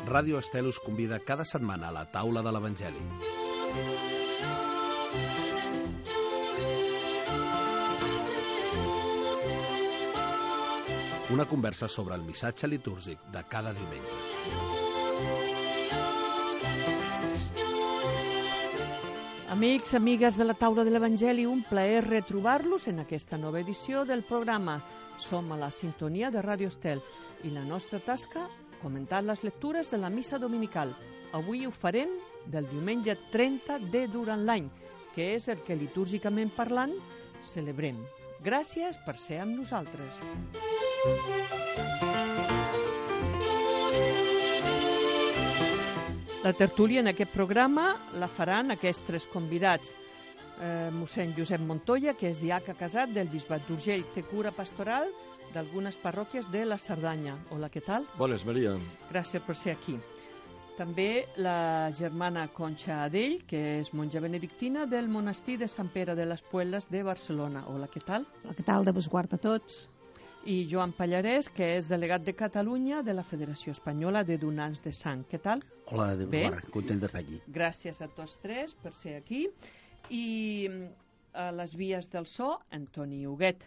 Ràdio Estel us convida cada setmana a la taula de l'Evangeli. Una conversa sobre el missatge litúrgic de cada diumenge. Amics, amigues de la taula de l'Evangeli, un plaer retrobar-los en aquesta nova edició del programa. Som a la sintonia de Ràdio Estel i la nostra tasca, comentar les lectures de la missa dominical. Avui ho farem del diumenge 30 de durant l'any, que és el que litúrgicament parlant celebrem. Gràcies per ser amb nosaltres. La tertúlia en aquest programa la faran aquests tres convidats. Mossèn Josep Montoya, que és diaca casat del Bisbat d'Urgell, té cura pastoral d'algunes parròquies de la Cerdanya. Hola, què tal? Bones, Maria. Gràcies per ser aquí. També la germana Concha Adell, que és monja benedictina del monestir de Sant Pere de les Puelles de Barcelona. Hola, què tal? Hola, què tal? De besguard a tots. I Joan Pallarès, que és delegat de Catalunya de la Federació Espanyola de Donants de Sang. Què tal? Hola, de besguard. Content d'estar aquí. Gràcies a tots tres per ser aquí. I a les vies del so, Antoni Huguet,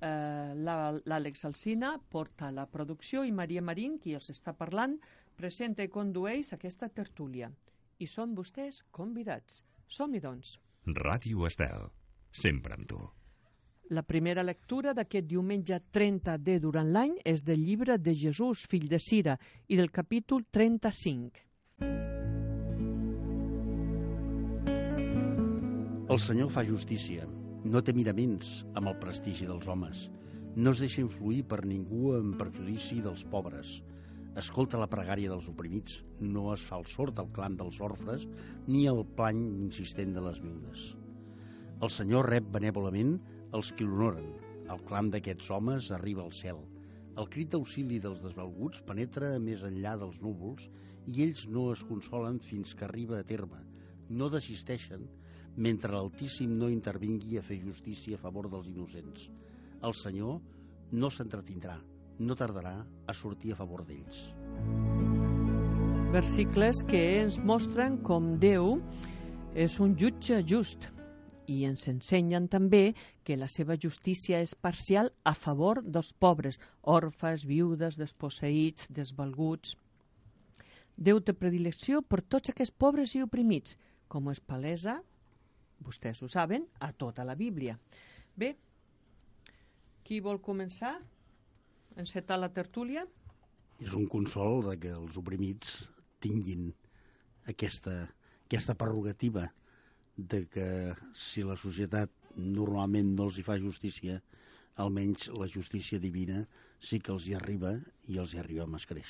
l'Àlex Alsina porta la producció i Maria Marín, qui els està parlant, presenta i condueix aquesta tertúlia. I són vostès convidats. Som-hi, doncs. Ràdio Estel, sempre amb tu. La primera lectura d'aquest diumenge 30 de durant l'any és del llibre de Jesús, fill de Sira, i del capítol 35. El Senyor fa justícia, no té miraments amb el prestigi dels homes, no es deixa influir per ningú en perjudici dels pobres, escolta la pregària dels oprimits, no es fa el sord al clam dels orfes ni el plany insistent de les viudes. El Senyor rep benèvolament els qui l'honoren, el clam d'aquests homes arriba al cel, el crit d'auxili dels desvalguts penetra més enllà dels núvols i ells no es consolen fins que arriba a terme, no desisteixen mentre l'Altíssim no intervingui a fer justícia a favor dels innocents. El Senyor no s'entretindrà, no tardarà a sortir a favor d'ells. Versicles que ens mostren com Déu és un jutge just i ens ensenyen també que la seva justícia és parcial a favor dels pobres, orfes, viudes, desposseïts, desvalguts. Déu té predilecció per tots aquests pobres i oprimits, com és palesa, vostès ho saben, a tota la Bíblia. Bé, qui vol començar? Encetar la tertúlia? És un consol de que els oprimits tinguin aquesta prerrogativa de que si la societat normalment no els hi fa justícia, almenys la justícia divina sí que els hi arriba i els hi arriba amb escreix.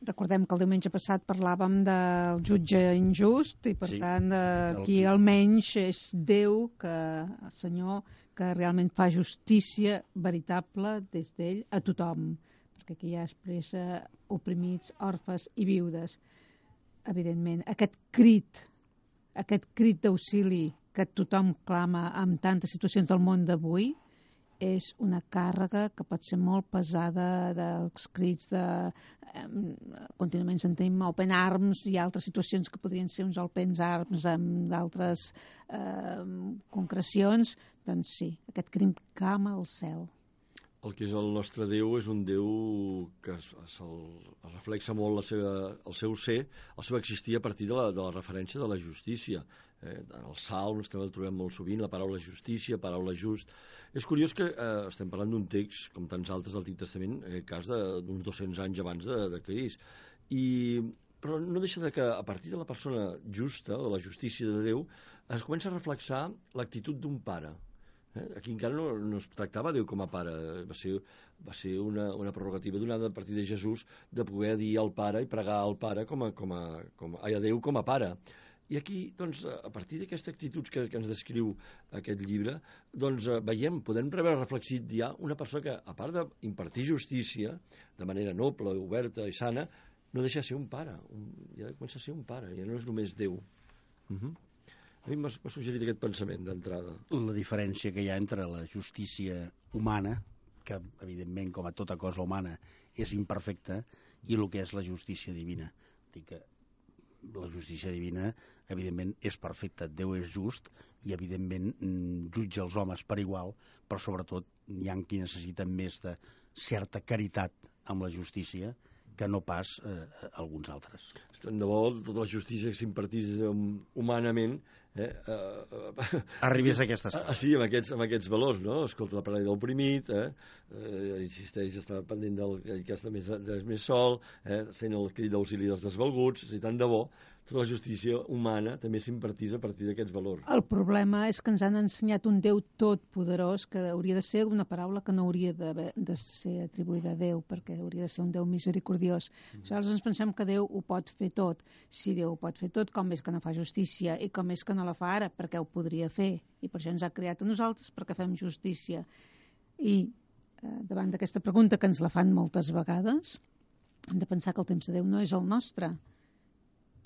Recordem que el diumenge passat parlàvem del jutge injust i per tant aquí almenys és Déu, el Senyor, que realment fa justícia veritable des d'ell a tothom, perquè aquí ja expressa oprimits, orfes i viudes. Evidentment, aquest crit d'auxili que tothom clama en tantes situacions del món d'avui és una càrrega que pot ser molt pesada dels crits de... contínuament sentim open arms i altres situacions que podrien ser uns open arms amb d'altres concrecions. Doncs sí, aquest crim clama al cel. El que és el nostre Déu és un Déu que es reflexa molt el seu ser, el seu existir a partir de la referència de la justícia. En els Salms també el trobem molt sovint, la paraula justícia, paraula just. És curiós que estem parlant d'un text, com tants altres del Antic Testament, en aquest cas d'uns 200 anys abans de Crist. Però no deixa de que a partir de la persona justa, de la justícia de Déu, es comença a reflexar l'actitud d'un pare. Aquí encara no es tractava Déu com a pare, va ser una prerrogativa donada a partir de Jesús de poder dir al pare i pregar al pare a Déu com a pare. I aquí, doncs, a partir d'aquestes actituds que ens descriu aquest llibre, doncs veiem, podem veure reflexit ja una persona que, a part d'impartir justícia de manera noble, oberta i sana, no deixa de ser un pare, ja comença a ser un pare, ja no és només Déu. A mi m'ha suggerit aquest pensament d'entrada. La diferència que hi ha entre la justícia humana, que evidentment com a tota cosa humana és imperfecta, i el que és la justícia divina. Dic que la justícia divina evidentment és perfecta, Déu és just i evidentment jutja els homes per igual, però sobretot hi ha qui necessiten més de certa caritat amb la justícia que no pas alguns altres. Tant de bo tota la justícia que s'impartís humanament arribés a aquestes coses. Sí, amb aquests valors, no? Escolta la paraula de l'oprimit, insisteix a estar pendent del que està més sol, sent el crit d'auxili dels desvalguts, i tant de bo tota la justícia humana també s'impartís a partir d'aquests valors. El problema és que ens han ensenyat un Déu totpoderós, que hauria de ser una paraula que no hauria de ser atribuïda a Déu, perquè hauria de ser un Déu misericordiós. Aleshores ens pensem que Déu ho pot fer tot. Si Déu ho pot fer tot, com és que no fa justícia? I com és que no la fa ara? Perquè ho podria fer. I per això ens ha creat a nosaltres, perquè fem justícia. I davant d'aquesta pregunta, que ens la fan moltes vegades, hem de pensar que el temps de Déu no és el nostre.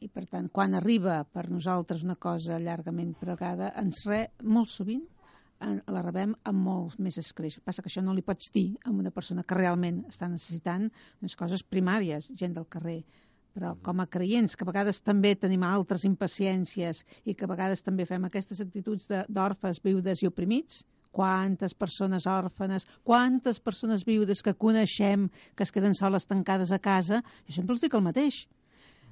I, per tant, quan arriba per nosaltres una cosa llargament pregada, molt sovint la rebem amb molt més escreix. Passa que això no li pots dir a una persona que realment està necessitant unes coses primàries, gent del carrer. Però com a creients, que a vegades també tenim altres impaciències i que a vegades també fem aquestes actituds d'orfes, viudes i oprimits, quantes persones òrfanes, quantes persones viudes que coneixem que es queden soles tancades a casa, jo sempre els dic el mateix.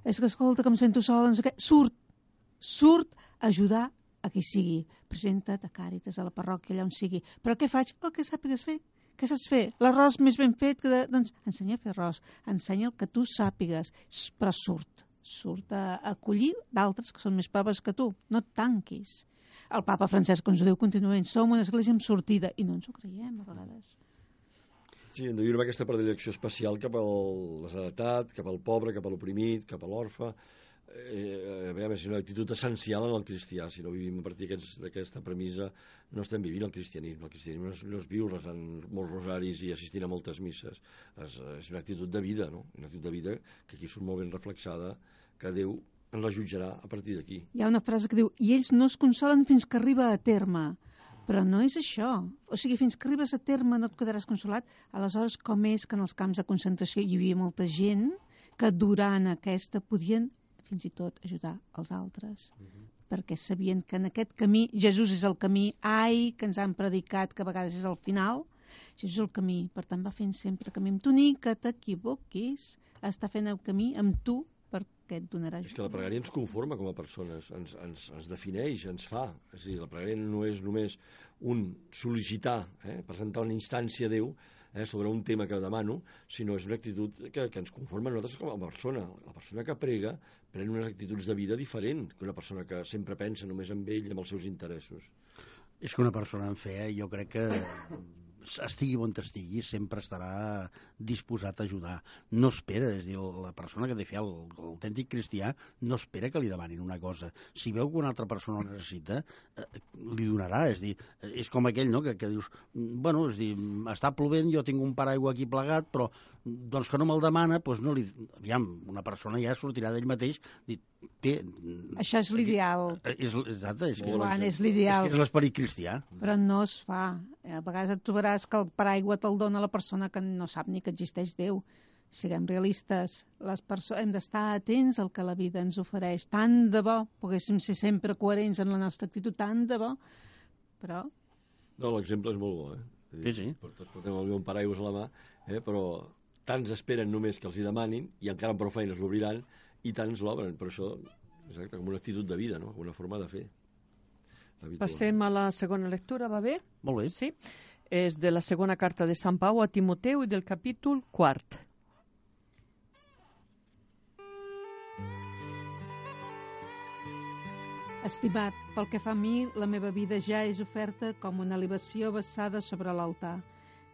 És que, escolta, que em sento sola, surt a ajudar a qui sigui. Presenta't a Càritas, a la parròquia, allà on sigui. Però què faig? El que sàpigues fer. Què saps fer? L'arròs més ben fet? Doncs ensenya a fer arròs. Ensenya el que tu sàpigues. Però surt a acollir d'altres que són més pobres que tu. No et tanquis. El papa Francesc ens ho diu contínuament. Som una església amb sortida. I no ens ho creiem, a vegades. Sí, hem de viure amb aquesta predilecció especial cap a l'esheretat, cap al pobre, cap a l'oprimit, cap a l'orfe. És una actitud essencial en el cristià. Si no vivim a partir d'aquesta premissa, no estem vivint el cristianisme. El cristianisme no és viure rezant molts rosaris i assistint a moltes misses. És una actitud de vida, no? Una actitud de vida que aquí surt molt ben reflexada, que Déu ens la jutjarà a partir d'aquí. Hi ha una frase que diu: i ells no es consolen fins que arriba a terme. Però no és això. O sigui, fins que arribes a terme no et quedaràs consolat. Aleshores, com és que en els camps de concentració hi havia molta gent que durant aquesta podien fins i tot ajudar els altres? Perquè sabien que en aquest camí, Jesús és el camí, que ens han predicat que a vegades és el final, Jesús és el camí. Per tant, va fent sempre camí amb tu, ni que t'equivoquis. Està fent el camí amb tu, perquè et donarà ajuda. És que la pregària ens conforma com a persones, ens defineix, ens fa. És a dir, la pregària no és només un sol·licitar, presentar una instància a Déu sobre un tema que demano, sinó és una actitud que ens conforma a nosaltres com a persona. La persona que prega pren unes actituds de vida diferent que una persona que sempre pensa només en ell i en els seus interessos. És que una persona en fe, jo crec que estigui on estigui, sempre estarà disposat a ajudar. No espera, és a dir, la persona que té fe, l'autèntic cristià, no espera que li demanin una cosa. Si veu que una altra persona ho necessita, li donarà. És a dir, és com aquell, no?, que dius, bueno, és a dir, està plovent, jo tinc un paraigua aquí plegat, però doncs que no me'l demana, doncs no li... Aviam, una persona ja sortirà d'ell mateix, això és l'ideal. Exacte, Joan, és l'ideal. És l'esperit cristià. Però no es fa. A vegades et trobaràs que el paraigua te'l dona la persona que no sap ni que existeix Déu. Siguem realistes. Hem d'estar atents al que la vida ens ofereix. Tant de bo poguéssim ser sempre coherents en la nostra actitud, tant de bo. Però... No, l'exemple és molt bo, Sí. Portem un paraigua a la mà, però tants esperen només que els hi demanin i encara amb prou feines l'obriran i tants l'obren. Per això, exacte, com una actitud de vida, no? Una forma de fer. Passem a la segona lectura, va bé? Molt bé. Sí. És de la segona carta de Sant Pau a Timoteu i del capítol 4. Estimat, pel que fa a mi, la meva vida ja és oferta com una libació vessada sobre l'altar.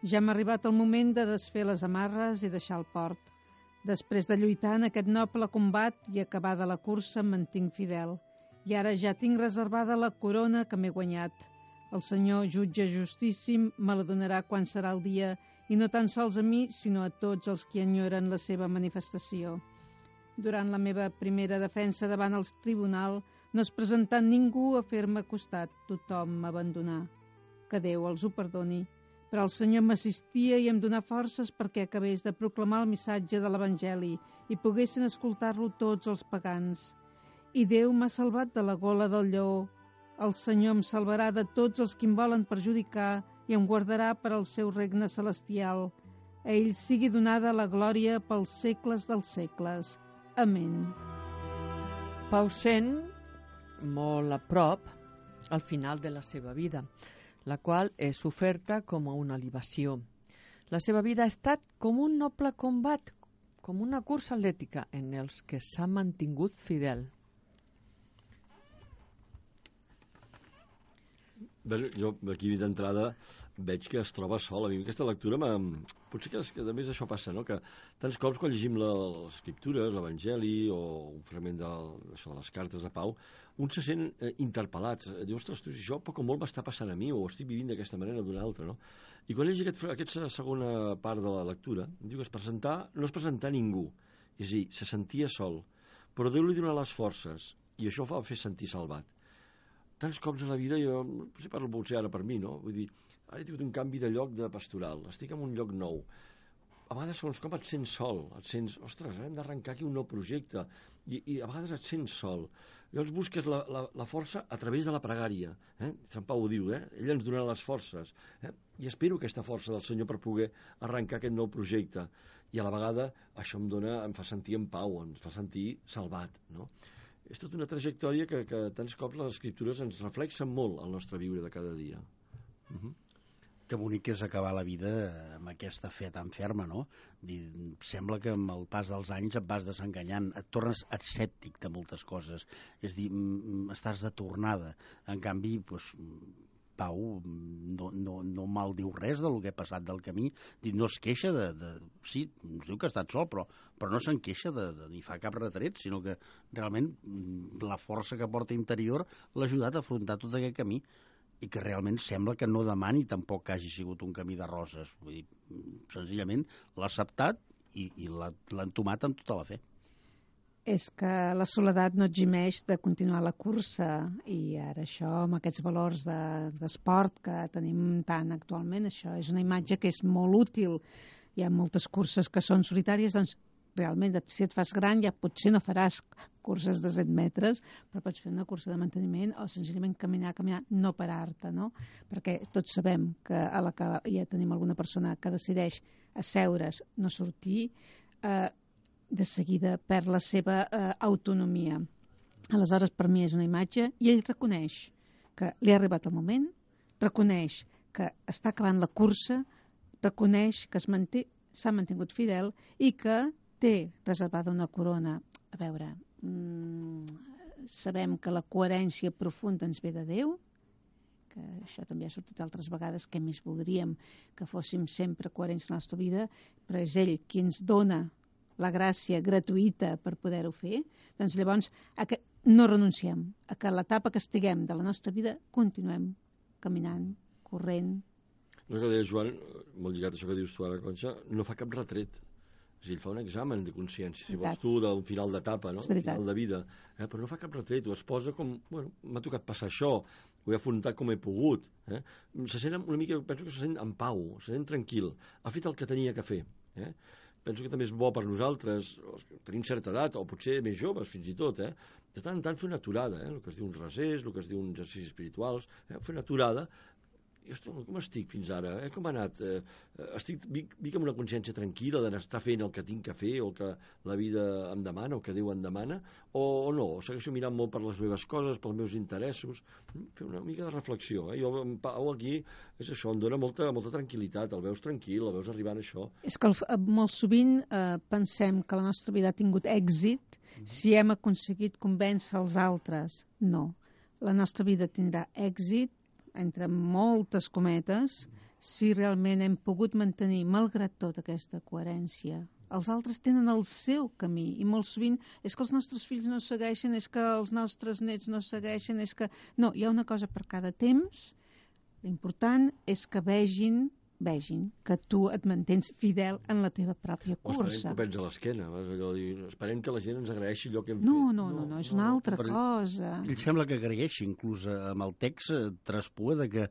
Ja m'ha arribat el moment de desfer les amarres i deixar el port. Després de lluitar en aquest noble combat i acabada la cursa em mantinc fidel. I ara ja tinc reservada la corona que m'he guanyat. El Senyor, jutge justíssim, me la donarà quan serà el dia, i no tan sols a mi, sinó a tots els que enyoren la seva manifestació. Durant la meva primera defensa davant el tribunal, no es presentà ningú a fer-me costat, tothom m'abandonà. Que Déu els ho perdoni. Però el Senyor m'assistia i em donà forces perquè acabés de proclamar el missatge de l'Evangeli i poguessin escoltar-lo tots els pagans. I Déu m'ha salvat de la gola del lleó. El Senyor em salvarà de tots els que em volen perjudicar i em guardarà per al seu regne celestial. A ell sigui donada la glòria pels segles dels segles. Amén. Pausen molt a prop al final de la seva vida, la qual és oferta com a una libació. La seva vida ha estat com un noble combat, com una cursa atlètica en els que s'ha mantingut fidel. Bé, jo aquí d'entrada veig que es troba sol. A mi aquesta lectura potser que a més això passa, no? Que tants cops quan llegim les escriptures, l'Evangeli o un fragment de les cartes de Pau, un se sent interpel·lat. Diu, ostres, tu, això poc o molt m'està passant a mi o estic vivint d'aquesta manera o d'una altra, no? I quan llegeix aquesta segona part de la lectura, diu que no es presentà ningú, és a dir, se sentia sol, però Déu li donà les forces i això el fa fer sentir salvat. Tants cops a la vida, jo potser parlo potser ara per mi, no? Vull dir, ara he tingut un canvi de lloc de pastoral, estic en un lloc nou. A vegades, segons com et sents sol, et sents, ostres, hem d'arrencar aquí un nou projecte, i a vegades et sents sol. Llavors busques la força a través de la pregària. Sant Pau ho diu, ell ens donarà les forces. I espero aquesta força del Senyor per poder arrencar aquest nou projecte. I a la vegada això em fa sentir en pau, em fa sentir salvat, no? És tota una trajectòria que tants cops les escriptures ens reflexen molt al nostre viure de cada dia. Que bonic és acabar la vida amb aquesta fe tan ferma, no? Sembla que amb el pas dels anys et vas desenganyant, et tornes escèptic de moltes coses, és dir, estàs de tornada. En canvi, doncs, Pau no mal diu res del que ha passat del camí, no es queixa sí, ens diu que ha estat sol, però no se'n queixa ni fa cap retret, sinó que realment la força que porta interior l'ha ajudat a afrontar tot aquest camí i que realment sembla que no demani tampoc que hagi sigut un camí de roses. Vull dir, senzillament l'ha acceptat i l'ha entomat amb tota la fe. És que la soledat no eximeix de continuar la cursa i ara això, amb aquests valors d'esport que tenim tant actualment, això és una imatge que és molt útil. Hi ha moltes curses que són solitàries, doncs realment, si et fas gran ja potser no faràs curses de 7 metres, però pots fer una cursa de manteniment o senzillament caminar, no parar-te, no? Perquè tots sabem que a la que ja tenim alguna persona que decideix asseure's, no sortir, de seguida perd la seva autonomia. Aleshores, per mi és una imatge, i ell reconeix que li ha arribat el moment, reconeix que està acabant la cursa, reconeix que s'ha mantingut fidel i que té reservada una corona. A veure, sabem que la coherència profunda ens ve de Déu, que això també ha sortit altres vegades, que més voldríem que fóssim sempre coherents en la nostra vida, però és ell qui ens dona la gràcia gratuïta per poder-ho fer, doncs llavors no renunciem a que l'etapa que estiguem de la nostra vida continuem caminant, corrent. El que deia Joan, molt lligat a això que dius tu ara, Conxa, no fa cap retret. És a dir, ell fa un examen de consciència, si vols tu, d'un final d'etapa, no? Un final de vida. Però no fa cap retret, ho es posa com, bueno, m'ha tocat passar això, ho he afrontat com he pogut. Se sent una mica, penso que se sent en pau, se sent tranquil, ha fet el que tenia que fer. Penso que també és bo per nosaltres, que tenim certa edat, o potser més joves fins i tot, de tant en tant fer una aturada, el que es diu uns resers, el que es diu uns exercicis espirituals, fer una aturada. I, ostres, com estic fins ara? Com ha anat? Vic amb una consciència tranquil·la d'estar fent el que tinc que fer, o el que la vida em demana, o que Déu em demana, o no? Segueixo mirant molt per les meves coses, pels meus interessos, fer una mica de reflexió. Jo, en Pau, aquí, és això, em dona molta tranquil·litat, el veus tranquil, el veus arribant a això. És que molt sovint pensem que la nostra vida ha tingut èxit si hem aconseguit convèncer els altres. No. La nostra vida tindrà èxit entre moltes cometes, si realment hem pogut mantenir, malgrat tot, aquesta coherència. Els altres tenen el seu camí, i molt sovint és que els nostres fills no segueixen, és que els nostres nets no segueixen, és que... No, hi ha una cosa per cada temps. L'important és que vegin vegin que tu et mantens fidel en la teva pròpia O esperem cursa. que ho pens a l'esquena. Esperem que la gent ens agraeixi allò que hem No, fet. és una altra cosa. Ell sembla que agraeixi, inclús amb el text traspua de que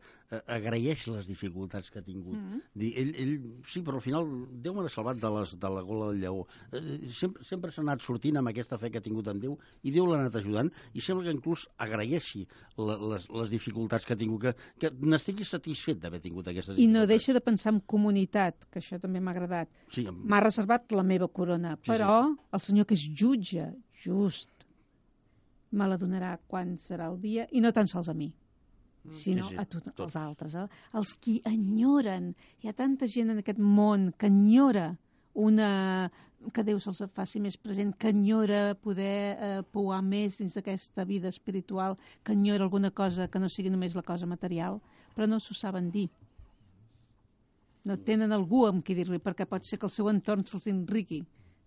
agraeix les dificultats que ha tingut. Ell, sí, però al final Déu me l'ha salvat de la gola del lleó. Sempre s'ha anat sortint amb aquesta fe que ha tingut en Déu i Déu l'ha anat ajudant i sembla que inclús agraeixi les dificultats que ha tingut, que n'estigui satisfet d'haver tingut aquestes dificultats. I no deixa de pensar en comunitat, que això també m'ha agradat. Sí, M'ha reservat la meva corona, però el senyor que és jutge, just, me la donarà quan serà el dia, i no tan sols a mi, sinó a tots els altres. Els qui enyoren. Hi ha tanta gent en aquest món que enyora que Déu se'ls faci més present, que enyora poder pouar més dins d'aquesta vida espiritual, que enyora alguna cosa que no sigui només la cosa material, però no s'ho saben dir. No tenen algú amb qui dir-li, perquè pot ser que el seu entorn se'ls enriqui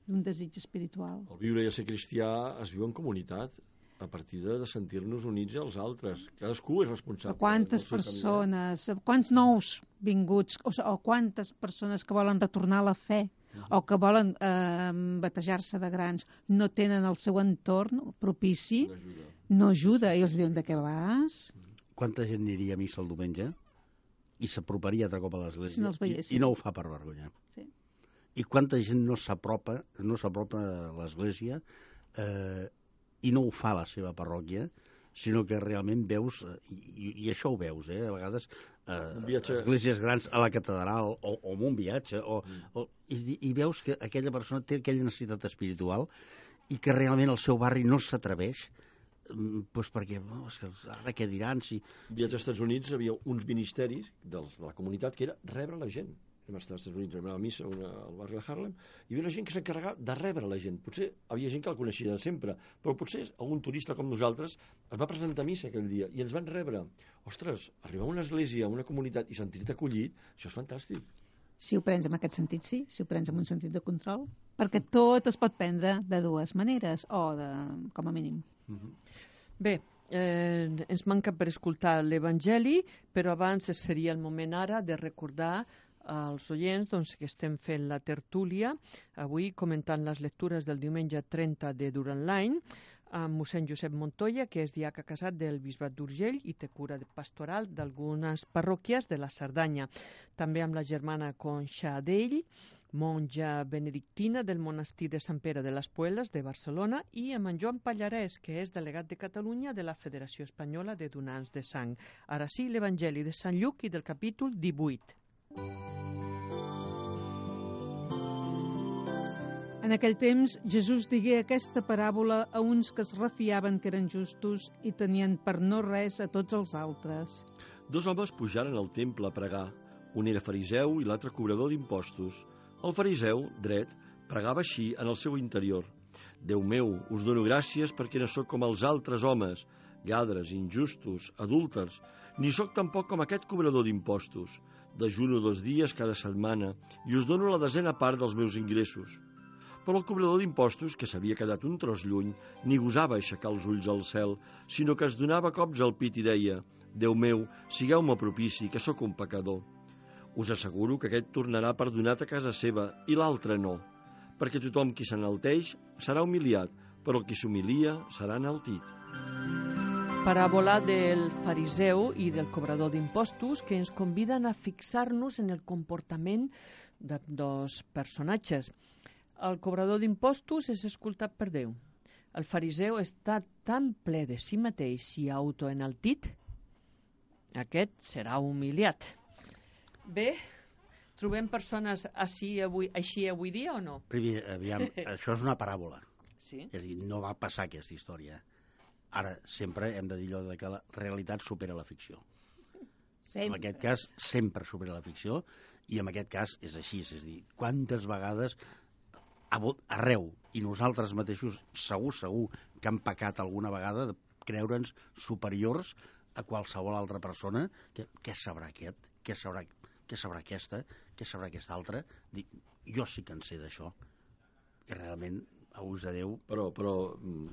d'un desig espiritual. El viure i el ser cristià es viu en comunitat, a partir de sentir-nos units als altres. Cadascú és responsable. Quantes persones, quants nous vinguts, o quantes persones que volen retornar a la fe, o que volen batejar-se de grans, no tenen el seu entorn propici, no ajuda. I els diuen, de què vas? Quanta gent aniria a missa el diumenge i s'aproparia altre cop a l'església si no els veiessin. I no ho fa per vergonya. Sí. I quanta gent no s'apropa a l'església i no ho fa a la seva parròquia, sinó que realment veus, i això ho veus, a vegades esglésies grans a la catedral o en un viatge, i veus que aquella persona té aquella necessitat espiritual i que realment el seu barri no s'atreveix perquè ara què diran si... Viatge als Estats Units hi havia uns ministeris de la comunitat que era rebre la gent. Vam estar als Estats Units, vam anar a la missa al barri de Harlem, i hi havia una gent que s'encarregava de rebre la gent. Potser havia gent que la coneixia de sempre, però potser algun turista com nosaltres es va presentar a missa aquell dia i ens van rebre. Ostres, arribar a una església, a una comunitat i sentir-te acollit, això és fantàstic. Si ho prens en aquest sentit, sí. Si ho prens en un sentit de control, perquè tot es pot prendre de dues maneres, o com a mínim. Bé, ens manca per escoltar l'Evangeli, però abans seria el moment ara de recordar als oients que estem fent la tertúlia, avui comentant les lectures del diumenge 30 de durant l'any, amb mossèn Josep Montoya, que és diaca casat del Bisbat d'Urgell i té cura pastoral d'algunes parròquies de la Cerdanya. També amb la germana Conxa Adell, monja benedictina del monestir de Sant Pere de les Puelas de Barcelona, i amb en Joan Pallarès, que és delegat de Catalunya de la Federació Espanyola de Donants de Sang. Ara sí, l'Evangeli de Sant Lluc i del capítol 18. En aquell temps, Jesús digué aquesta paràbola a uns que es refiaven que eren justos i tenien per no res a tots els altres. Dos homes pujaren al temple a pregar. Un era fariseu i l'altre cobrador d'impostos. El fariseu, dret, pregava així en el seu interior. Déu meu, us dono gràcies perquè no sóc com els altres homes, lladres, injustos, adúlters, ni sóc tampoc com aquest cobrador d'impostos. Dejuno 2 dies cada setmana i us dono la 10ª part dels meus ingressos. Però el cobrador d'impostos, que s'havia quedat un tros lluny, ni gosava aixecar els ulls al cel, sinó que es donava cops al pit i deia: Déu meu, sigueu-me propici, que sóc un pecador. Us asseguro que aquest tornarà perdonat a casa seva i l'altre no, perquè tothom qui s'enalteix serà humiliat, però el qui s'humilia serà enaltit. Paràbola del fariseu i del cobrador d'impostos que ens conviden a fixar-nos en el comportament de dos personatges. El cobrador d'impostos és escoltat per Déu. El fariseu està tan ple de si mateix i autoenaltit, aquest serà humiliat. Bé, trobem persones així avui dia o no? Primer, aviam, això és una paràbola. Sí. És a dir, no va passar aquesta història. Ara, sempre hem de dir allò de que la realitat supera la ficció. Sempre. En aquest cas, sempre supera la ficció, i en aquest cas és així. És a dir, quantes vegades arreu, i nosaltres mateixos segur que hem pecat alguna vegada de creure'ns superiors a qualsevol altra persona. Què sabrà aquest? Què sabrà aquesta? Què sabrà aquesta altra? Jo sí que en sé d'això. I realment A ús de Déu. Però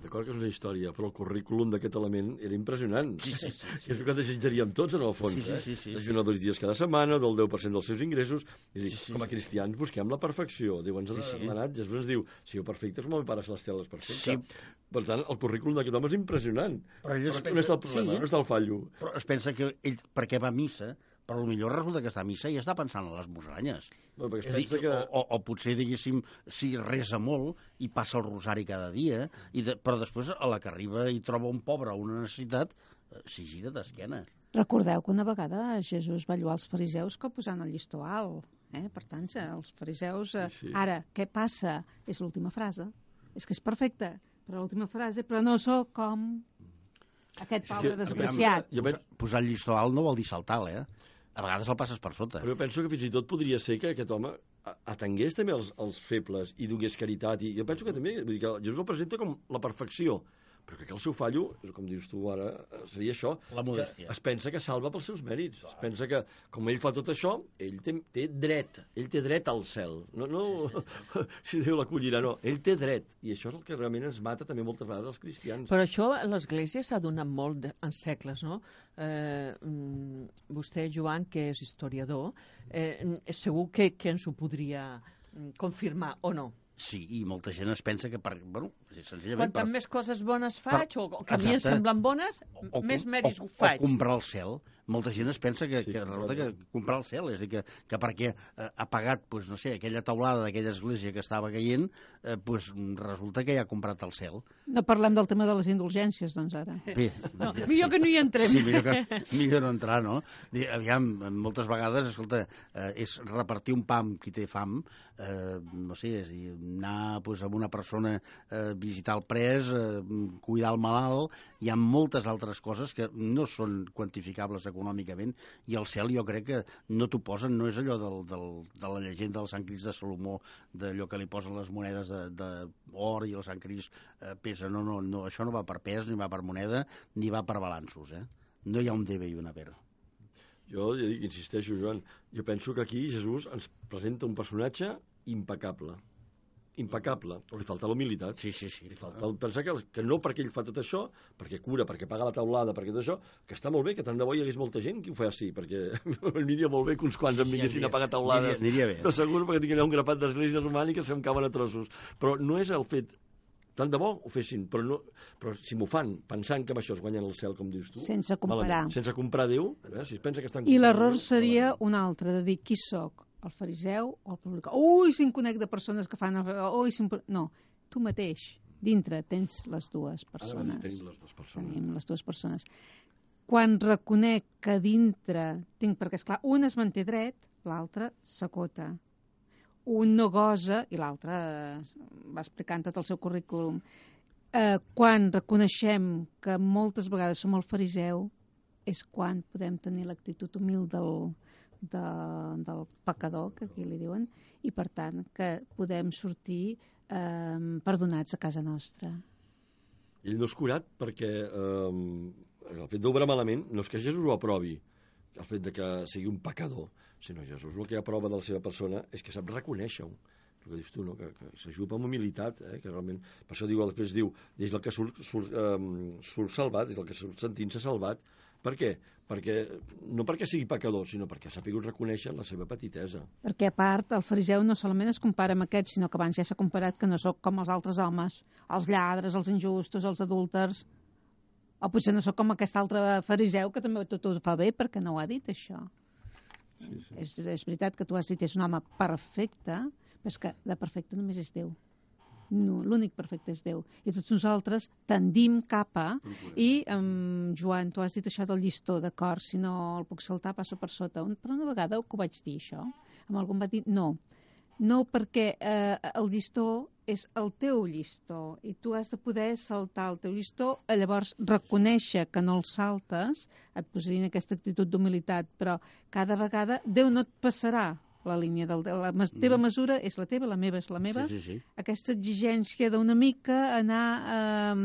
d'acord que és una història, però el currículum d'aquest element era impressionant. Sí. És el que desitjaríem tots, en el fons. Sí. Desayunar 2 dies cada setmana, del 10% dels seus ingressos. És a dir, com a cristians busquem la perfecció. Déu ens ha demanat, Jesús ens diu, sigueu perfectes com el Pare Celestial és perfecte. Sí. Per tant, el currículum d'aquest home és impressionant. Però ell on està el problema? On està el fallo? Però es pensa que ell, perquè va a missa, però potser resulta que està a missa i està pensant en les musaranyes. No, perquè És a dir, o potser, diguéssim, si resa molt i passa el rosari cada dia, però després a la que arriba i troba un pobre o una necessitat, s'hi gira d'esquena. Recordeu que una vegada Jesús va lloar els fariseus que posant el llistó alt. Per tant, els fariseus... Sí. Ara, què passa? És l'última frase. És que és perfecte, però l'última frase, però no sóc com aquest pobre desgraciat. Posar el llistó alt no vol dir saltar, A vegades el passes per sota. Però jo penso que fins i tot podria ser que aquest home atengués també els febles i donés caritat. I jo penso que també, vull dir que Jesús el presenta com la perfecció, però que el seu fallo, com dius tu ara, seria això. La modèstia. Es pensa que salva pels seus mèrits. Es pensa que, com ell fa tot això, ell té dret al cel. No si Déu l'acollirà, no. Ell té dret. I això és el que realment ens mata també moltes vegades els cristians. Però això l'Església s'ha donat molt en segles, no? Vostè, Joan, que és historiador, segur que ens ho podria confirmar, o no? Sí, i molta gent es pensa que, senzillament... Quantes més coses bones faig, o que a mi em semblen bones, més mèrits faig. O comprar el cel. Molta gent es pensa que resulta que comprar el cel, és a dir, que perquè ha pagat, doncs, no sé, aquella taulada d'aquella església que estava caient, doncs resulta que ja ha comprat el cel. No parlem del tema de les indulgències, doncs, ara. Bé, no, millor que no hi entrem. Sí, millor no entrar, no? Aviam, moltes vegades, escolta, és repartir un pa amb qui té fam, no sé, és a dir, anar amb una persona a visitar el pres, cuidar el malalt, hi ha moltes altres coses que no són quantificables econòmicament, i el cel jo crec que no t'ho posen, no és allò de la llegenda del Sant Crist de Salomó, d'allò que li posen les monedes d'or i el Sant Crist pesa, no, això no va per pes, ni va per moneda, ni va per balanços, no hi ha un debe i un haver. Jo ja dic, insisteixo, Joan, jo penso que aquí Jesús ens presenta un personatge impecable, però li falta la humilitat. Sí. Li falta pensar que no perquè ell fa tot això, perquè cura, perquè paga la taulada, perquè tot això, que està molt bé, que tant de bo hi hagués molta gent que ho faci, perquè aniria molt bé que uns quants em vinguessin a pagar taulades. Aniria bé. Però segur, perquè tinc allà un grapat d'esglésies romàniques que em cauen a trossos. Però no és el fet... Tant de bo ho fessin, però si m'ho fan pensant que amb això es guanyen el cel, com dius tu... Sense comparar. Sense comprar Déu, si es pensa que estan... I l'error seria un altre, de dir qui sóc, el fariseu o el publicà. Ui, si em conec de persones que fan... No, tu mateix, dintre, tens les dues persones. Tenim les dues persones. Tenim les dues persones. Quan reconec que dintre tinc... Perquè, esclar, un es manté dret, l'altre s'acota. Un no gosa i l'altre va explicant tot el seu currículum. Quan reconeixem que moltes vegades som el fariseu és quan podem tenir l'actitud humil del pecador, que aquí li diuen, i per tant que podem sortir perdonats a casa nostra. Ell no és curat perquè el fet d'obrar malament no és que Jesús ho aprovi, el fet de que sigui un pecador, sinó Jesús el que aprova de la seva persona és que sap reconèixer-ho, el que dius tu, no? Que s'ajupa amb humilitat, que realment, per això després diu, des del que surt salvat, des del que surt sentint-se salvat. Per què? No perquè sigui pecador, sinó perquè s'ha pogut reconèixer la seva petitesa. Perquè a part, el fariseu no solament es compara amb aquest, sinó que abans ja s'ha comparat que no sóc com els altres homes, els lladres, els injustos, els adúlters, o potser no sóc com aquest altre fariseu que també tot ho fa bé perquè no ho ha dit, això. Sí. És veritat que tu has dit és un home perfecte, però és que de perfecte només és Déu. No, l'únic perfecte és Déu. I tots nosaltres tendim cap a... I, Joan, tu has dit això del llistó, d'acord, si no el puc saltar passo per sota. Però una vegada que ho vaig dir, això, amb algú em va dir no. No, perquè el llistó és el teu llistó i tu has de poder saltar el teu llistó, llavors reconèixer que no el saltes, et posaria en aquesta actitud d'humilitat, però cada vegada Déu no et passarà la línia la teva mesura és la teva, la meva és la meva. Sí. Aquesta exigència d'una mica anar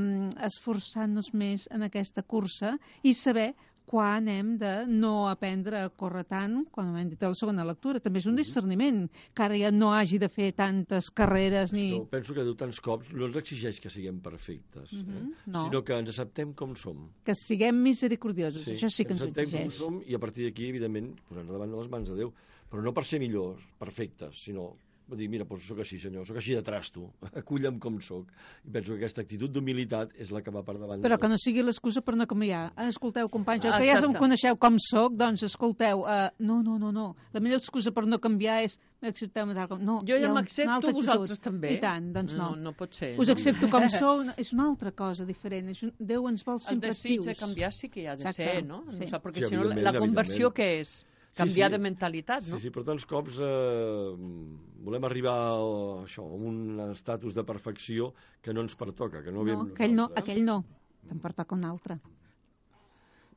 esforçant-nos més en aquesta cursa i saber quan hem de no aprendre a córrer tant, quan hem dit a la segona lectura. També és un discerniment, que ara ja no hagi de fer tantes carreres ni... Penso que diu tants cops no ens exigeix que siguem perfectes, no. sinó que ens acceptem com som. Que siguem misericordiosos, això sí que ens acceptem exigeix. com som i a partir d'aquí, evidentment, posant davant de les mans de Déu, però no per ser millors, perfectes, sinó dir, mira, doncs sóc així, senyor, sóc així de trasto, aculla'm com sóc. I penso que aquesta actitud d'humilitat és la que va per davant. Però que no sigui l'excusa per no canviar. Escolteu, companys, que ja em coneixeu com sóc, doncs escolteu, no. La millor excusa per no canviar és accepteu-me tal com... No, jo ja m'accepto, vosaltres també. I tant, doncs no. No pot ser. Us accepto com sou, és una altra cosa diferent. Déu ens vol sempre actius. El desig de canviar sí que hi ha de ser, no? Sí. Perquè si no, la conversió què és? Canviar de mentalitat, no? Sí, però tants cops volem arribar a un estatus de perfecció que no ens pertoca, que no veiem nosaltres. Aquell no, te'n pertoca un altre.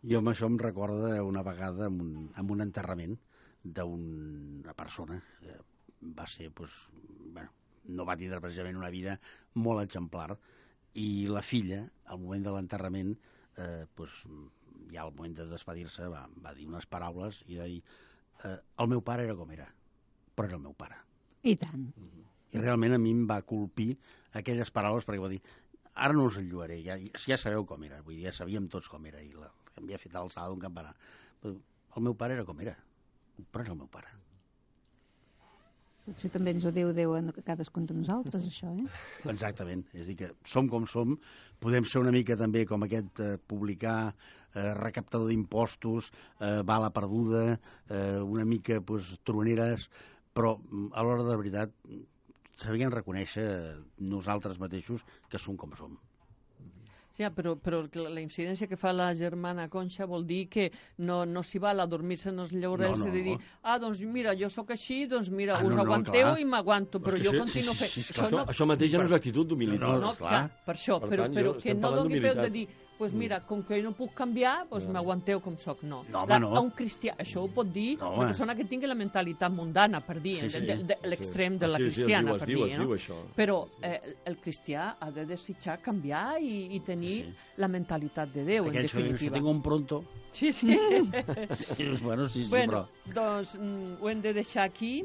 Jo amb això em recorda una vegada en un enterrament d'una persona que va ser, no va tindre precisament una vida molt exemplar, i la filla, al moment de l'enterrament, ja al moment de despedir-se va dir unes paraules i va dir el meu pare era com era, però era el meu pare. I tant. I realment a mi em va colpir aquelles paraules perquè va dir, ara no us enlluaré, ja sabeu com era, vull dir, ja sabíem tots com era i havia fet l'alçada d'un campanar. El meu pare era com era, però era el meu pare. Potser també ens ho diu Déu a cadascun de nosaltres, això, Exactament, és a dir que som com som, podem ser una mica també com aquest publicà, recaptador d'impostos, bala perduda, una mica troneres, però a l'hora de veritat sabíem reconèixer nosaltres mateixos que som com som. Ja, però la incidència que fa la germana Conxa vol dir que no s'hi val a dormir-se en els llaurels i de dir, doncs mira, jo sóc així, doncs mira, us aguanteu i m'aguanto, però jo continuo fent... Això mateix ja no és actitud d'humilitat. No, clar, per això, però que no doni peu de dir, doncs mira, com que no puc canviar, doncs m'aguanteu com sóc. No. A un cristià, això ho pot dir una persona que tingui la mentalitat mundana, per dir, l'extrem de la cristiana, per dir, no? Però el cristià ha de desitjar canviar i tenir la mentalitat de Déu, en definitiva. Que tinc un pronto. Sí. Bueno, però... Doncs ho hem de deixar aquí.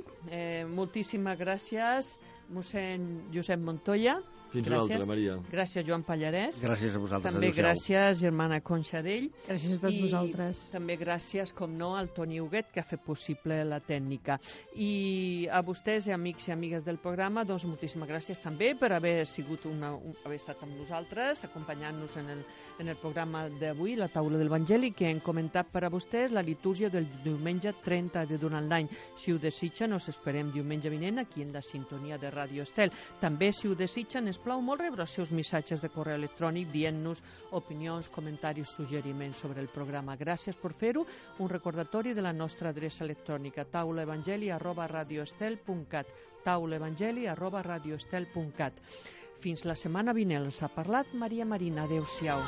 Moltíssimes gràcies, mossèn Josep Montoya. Fins una altra, Maria. Gràcies, Joan Pallarès. Gràcies a vosaltres. També gràcies, germana Conxa Dell. Gràcies a tots vosaltres. També gràcies, com no, al Toni Huguet, que ha fet possible la tècnica. I a vostès, amics i amigues del programa, doncs moltíssimes gràcies també per haver estat amb nosaltres, acompanyant-nos en el programa d'avui, la taula de l'Evangeli, que hem comentat per a vostès la litúrgia del diumenge 30 de durant l'any. Si ho desitgen, us esperem diumenge vinent aquí en la sintonia de Ràdio Estel. També, si ho desitgen, es plau molt rebre els seus missatges de correu electrònic dient-nos opinions, comentaris, suggeriments sobre el programa. Gràcies per fer-ho. Un recordatori de la nostra adreça electrònica taulaevangeli@radioestel.cat taulaevangeli@radioestel.cat. Fins la setmana vinent. Els ha parlat Maria Marina. Adéu-siau.